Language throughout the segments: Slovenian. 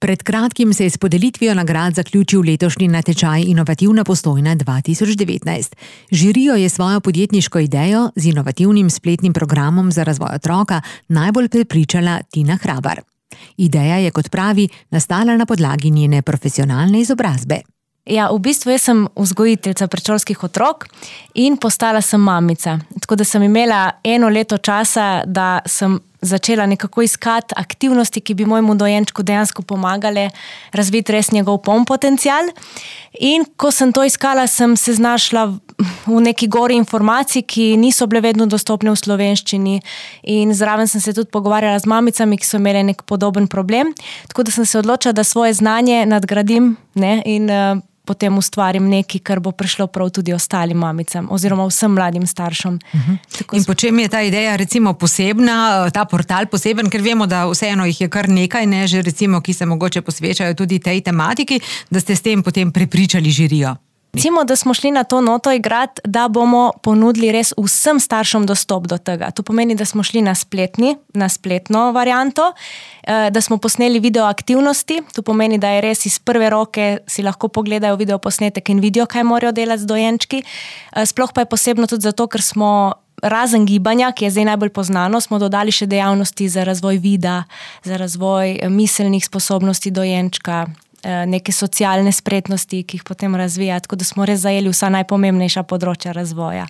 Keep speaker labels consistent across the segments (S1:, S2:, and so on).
S1: Pred kratkim se je s podelitvijo nagrad zaključil letošnji natečaj Inovativna Postojna 2019. Žirijo je svojo podjetniško idejo z inovativnim spletnim programom za razvoj otroka najbolj prepričala Tina Hrabar. Ideja je, kot pravi, nastala na podlagi njene profesionalne izobrazbe.
S2: Ja, v bistvu jaz sem vzgojiteljica predšolskih otrok in postala sem mamica. Tako da sem imela 1 leto časa, da sem začela nekako iskati aktivnosti, ki bi mojemu dojenčku dejansko pomagale razviti res njegov poln potencial. In ko sem to iskala, sem se znašla v neki gori informacij, ki niso bile vedno dostopne v slovenščini. In zraven sem se tudi pogovarjala z mamicami, ki so imeli nek podoben problem. Tako da sem se odločila, da svoje znanje nadgradim, in potem ustvarim nekaj, kar bo prišlo prav tudi ostalim mamicam oziroma vsem mladim staršem.
S1: In po čem je ta ideja recimo posebna, ta portal poseben, ker vemo, da vseeno jih je kar nekaj, že recimo, ki se mogoče posvečajo tudi tej tematiki, da ste s tem potem prepričali žirijo?
S2: Recimo, da smo šli na to noto igrati, da bomo ponudili res vsem staršem dostop do tega. To pomeni, da smo šli na spletno varianto, da smo posneli video aktivnosti. To pomeni, da je res iz prve roke si lahko pogledajo video posnetek in vidijo, kaj morajo delati z dojenčki. Sploh pa je posebno tudi zato, ker smo razen gibanja, ki je zdaj najbolj poznano, smo dodali še dejavnosti za razvoj vida, za razvoj miselnih sposobnosti dojenčka, neke socialne spretnosti, ki jih potem razvija, tako da smo res zajeli vsa najpomembnejša področja razvoja.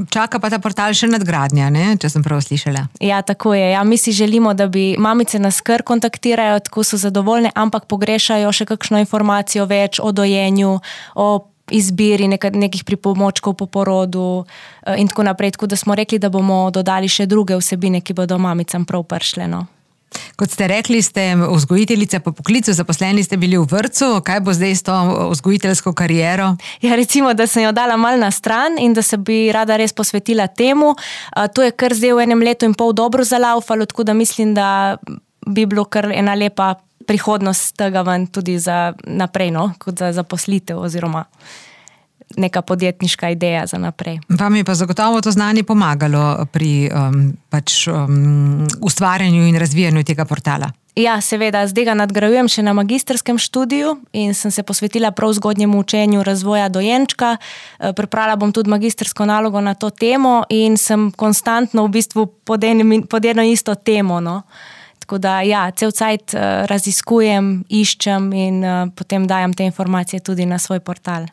S1: Čaka pa ta portal še nadgradnja, če sem prav slišala.
S2: Ja, tako je. Ja, mi si želimo, da bi mamice nas kar kontaktirajo, tako so zadovoljne, ampak pogrešajo še kakšno informacijo več o dojenju, o izbiri nekih pripomočkov po porodu in tako naprej. Tako da smo rekli, da bomo dodali še druge vsebine, ki bodo mamicam prav prišle.
S1: Kot ste rekli, ste vzgojiteljica po poklicu, zaposleni ste bili v vrtcu. Kaj bo zdaj s to vzgojiteljsko kariero?
S2: Ja, recimo, da sem jo dala malo na stran in da se bi rada res posvetila temu. To je kar zdaj v 1 letu in pol dobro zalaufalo, tako da mislim, da bi bilo kar ena lepa prihodnost tega ven tudi za naprej, kot za zaposlitev oziroma neka podjetniška ideja za naprej.
S1: Vam je pa zagotovo to znanje pomagalo pri ustvarjanju in razvijanju tega portala?
S2: Ja, seveda, zdaj ga nadgrajujem še na magistrskem študiju in sem se posvetila prav zgodnjemu učenju razvoja dojenčka. Pripravila bom tudi magistrsko nalogo na to temo in sem konstantno v bistvu pod eno isto temo. Tako da, ja, cel cajt raziskujem, iščem in potem dajam te informacije tudi na svoj portal.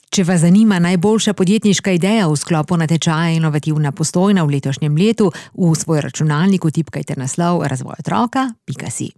S1: Če vas zanima najboljša podjetniška ideja v sklopu natečaja Inovativna Postojna v letošnjem letu, v svoj računalnik vtipkajte naslov razvojotroka.si.